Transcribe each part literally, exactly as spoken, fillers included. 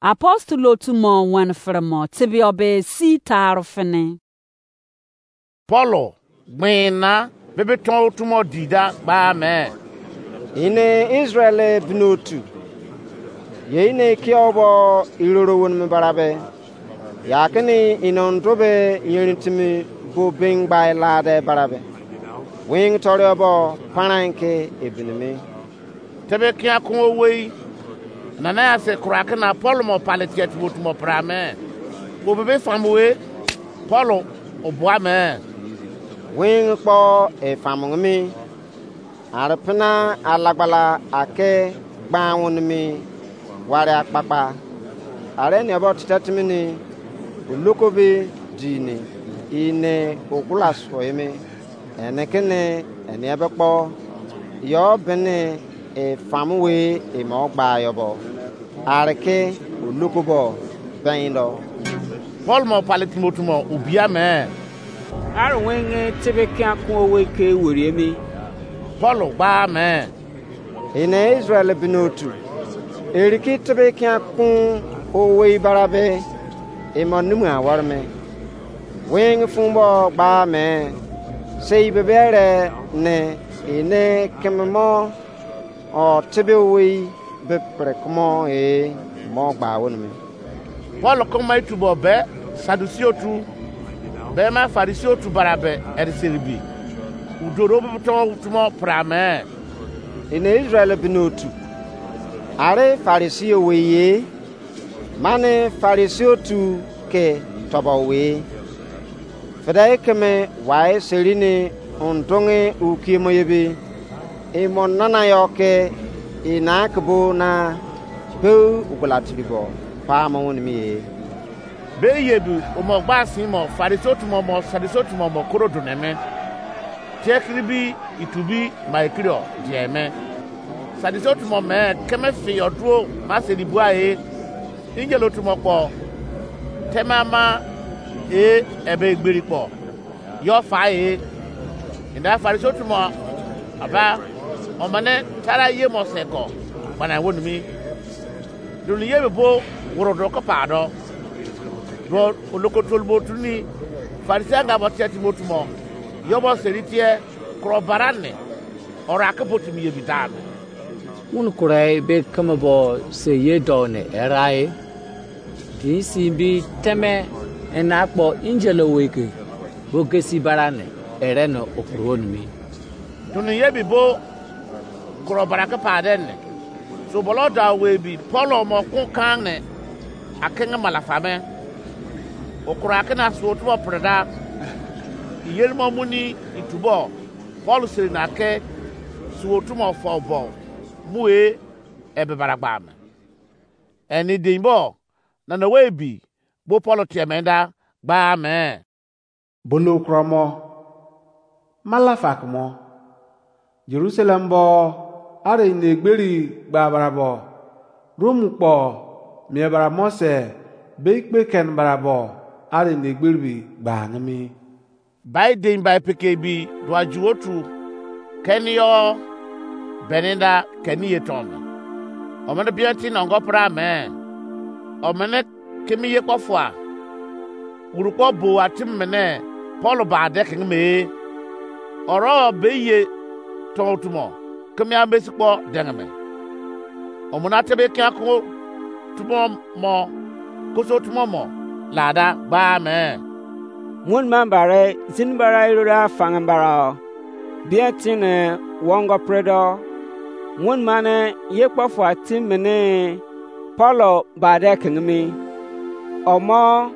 Apostle otu mo wen fere mo tebio be si taru fini. Paulo gbin na bebe ton otu mo di da gba me. Ine Israel bini otu. Ye ine kio bo iroro won me barabe. Ya kini ine ondo be yerin timi bo bengbai lade barabe. Wing tori obo paranke ebinimi. Tebe kia kun owei. Nana ya se kura kina Paul mo pale tiet mo tumo pra me. Wo bebe famu we Paul o bua me. Wing kpo e famu mi. Arepena alagbala ake gba won mi ware akpakpa. Are ne bo tita timi ni uluko bi di ni ine ogula so emi. Ene kene ene ebe kpo yo bene e famu we e mo gba yo bo. Areke uluko bo bendo. Paul mo pale Timoti mo ubia me. Are wenge tebe kia kun owe ke weri emi. Paul gba me. Ine Israel bini otu. Eriki tebe kia kun owe barabe. Imo numu awar me. Weng fun bo gba me. Sei bebere ne ine kememo o tebe owe be pre kumo e mo gba won me. Paul koma itubo be Sadusi otu be ma Farisi otu barabe eri seribi. Udoro bubuton tumo pra me. Ine Israel bini otu. Are Farisi owe ye. Mane Farisi otu ke tobo we. Fede keme wai serini undungi ukiemo yebi. Imo nana yo ke ina kebo na peu ugula tiribo pa mo woni mi ye. Be yebi umo gba sin mo Farisi otu mo mo Sadisi otu mo mo koro duneme. Tie kiri bi itu bi ma ekiri o die me. Sadisi otu mo me keme fi yo duo ma se di bua e. Injil otu mo kpo. Tema ma e ebe egberi kpo. Yo fa e. Inda Farisi otu mo aba omene tara ye mo se ko. Bana wonu mi. Dunu ye be bo woro do ko pa do. Do oloko tolbo tuni Farisi anga bo tie Timoti mo. Yo bo seri tie kro barane. Ora ke botimi ye bi dan. Won kurai be keme bo se ye do ne erai. Din si bi teme ena kpo injil oweke bo gesi barane ere no opro ni mi. Dunu ye bi bo kuro barake pa de ne. So bolo da we bi Paul mo kun kan ne akenge malafa me. Okura ke na suo tubo preda. Iyeri mo muni itubo Paul seri na ke suo tumo fo bo mu e ebe baragba me. Eni din bo nana we bi bo Paul tie me da gba me. Bono kromo. Malafak mo. Jerusalem bo are inegberi gba barabo. Rom kpo mie bara mo se be ikpe ken barabo are inegberi bi gba angimi. Bai dein bai peke bi dua ju otu. Keni yo beninda keni ye ton. Omene bianti nongo pra me. Omene kemi ye kpofua. Urukpo bo atim mene Paul ba de king me. Oro be ye ton otumo kemi amesi kpo deng me. Omona tebe kia ko tumo mo koso tumo mo lada gba me. Won man bare zin bara irora fangan bara o. Bia tine wongo predo. Won mane ye kpofua tim mene Paulo bade kengemi. Omo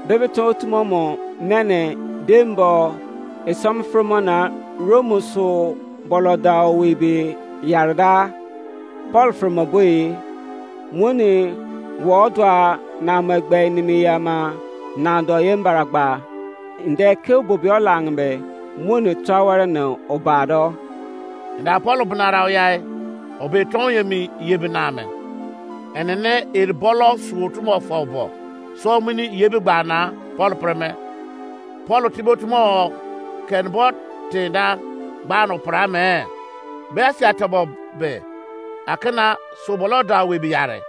bebe to tumo mo mene dembo esom fromona Romu so boloda owe be yarda. Paul fromoboi woni wo dua na mo egbe nimi yama na do ye mbaragba. Nde ke bobio langbe woni tawere no obado. Nda Paul bunara oyai obe ton yemi ye biname. Enene eri bolo suo tumo fo bo so mini ye bi gbana Paul preme. Paul tibo tumo ken bo tinda gbano prame. Be asia tobo be akena sobolo da we bi yare.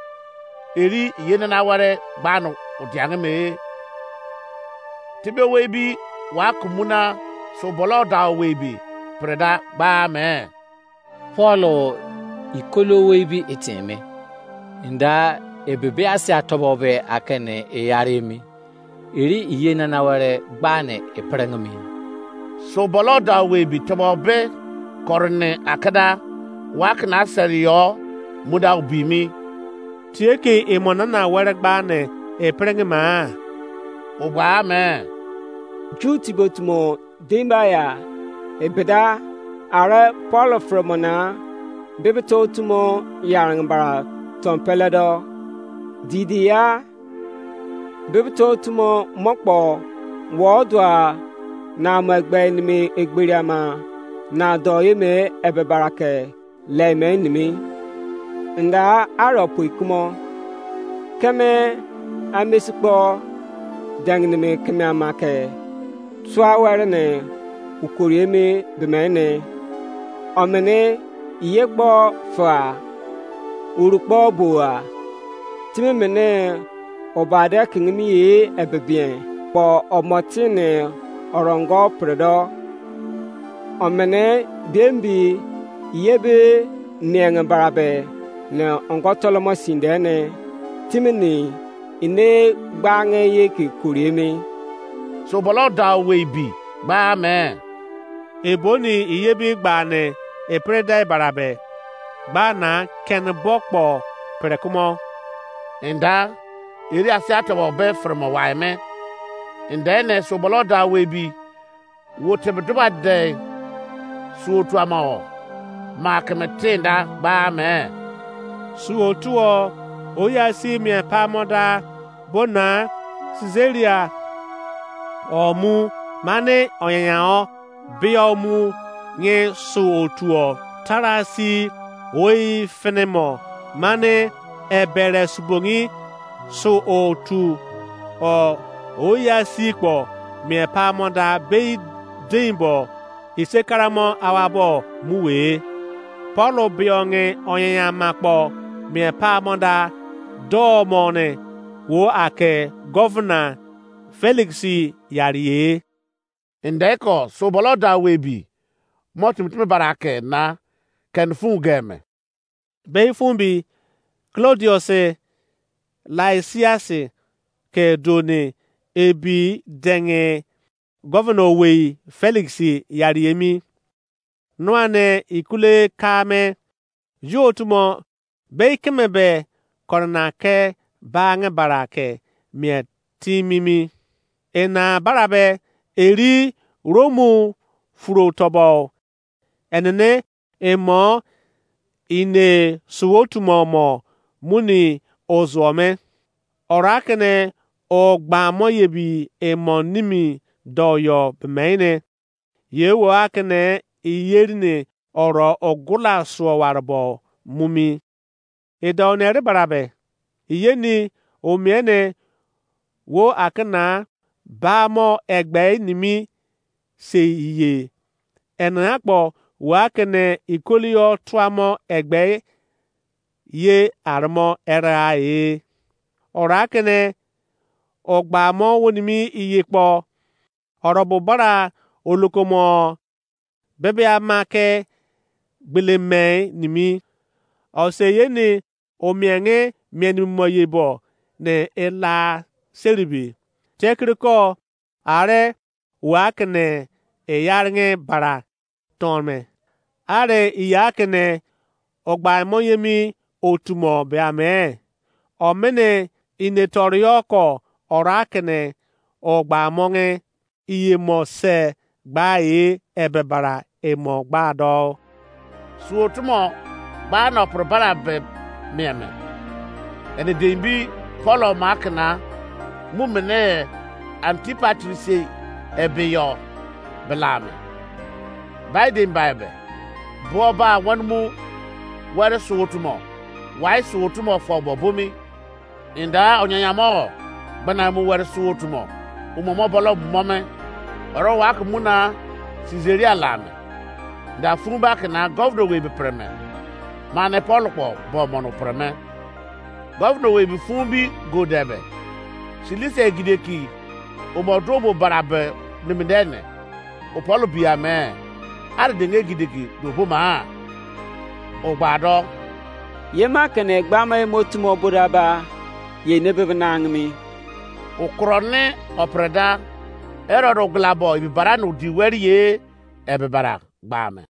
eri iye nana were gba no odiange me. Tebe owei bi wa kumuna so bolo da owei bi preda gba me. Paul ikolo owei bi eteme. Nda ebebe asia tobo be akene eyare mi. Eri iye nana were gba ne epreng mi. So bolo da owei bi tobo be korne akada wa kena seri yo muda obi mi. Tie ke emo nana were gba ne epreng ma. Ogba me. Ju tibotumo dimba ya ebeda are Paul fremo na bibito tumo yarang bara tompele do. Didi ya bibito tumo mokpo wo dua na mo egbe nimi egberiama na do ye me ebe barake leme nimi. Nda aro pui kumo keme amesikpo dengnimi keme ama ke tua were ne ukori emi bemene. Omene iye kpo fua uru kpo bua timi mene obade kingimi ye ebebien kpo omotine orongo predo. Omene biembi ye be nienge barabe ne ongo tolomo sinde ne timini ine gbange ye ke kori emi. So bolo da owei bi gba me. Eboni iye bi gba ne epre dai barabe gba na ken bo kpo pre kumo. Nda eri asia tobo be fremo wai me. Nda ne so bolo da owei bi wo tebe duba de suo tuama o ma keme tenda gba me. Suo tuo oya si mie pamo da bona Caesarea o mu mane oyanya o bio mu nye suo tuo tarasi oi finimo mane ebere subongi su otu o oya si kpo mie pamo da bei dein bo ise karamo awabo mu we. Paul bionge oyan ama kpo mie pamo da do mo ne wo ake governor Felix yarie. Ndeko so bolo da we bi mo timi timi bara ke na ken fun geme. Bei fun bi Claudius Lysias ke do ne ebi denge governor owei Felix yari emi. Nua ne ikule ka me yo otu mo bei keme be korona ke bange bara ke mie timimi. Ena bara be eri Romu furo tobo enene emo ine suo tumo mo muni ozuo me. Ora kene o gba mo yebi emo nimi do yo bemene. Ye wo akene iyeri ne oro ogula suo warbo mumi. Edo ne ri barabe iyeni omiene wo akena ba mo egbe nimi sei iye. Ena akpo wo akene ikolio tuamo egbe ye armo era e. Ora kene ogba mo wonimi iye kpo orobo bara olokomo bebe ama ke gbele me nimi. Ose ye ni omienge mienimo ye bo ne ela seribi. Tekiriko are wa kene eyarenge bara tonme. Are iya kene ogba mo yemi otumo be ame. Omene inetorio ko ora kene ogba mo nge iye mo se gba e ebe bara emo gba do. Suo tumo gba no pro bara be mieme. Ene dembi Paulo makina mu mene Antipatri sei ebe yo belame. Bai dembi ebe bo ba wan mu were suo tumo wai suo tumo fo bo bumi. Inda onyanyamo gbana mu were suo tumo umomo bolo mome. Oro wa ke muna Caesarea lame. Inda fun ba ke na governor we be preme. Mane Paul kpo bo mo no preme. Gọvnọ wei bi fun bi go debe. Silisia egideki omo duo bo barabe nimidene. Opọl bia me. Ari denge egideki do bo ma. Ogba do. Ye ma kene gbama emo tumo boda ba. Ye ne bebe nangmi. Ukro ne opreda. Herod oglabo ibibara no di weri ye. Ebibara gba me.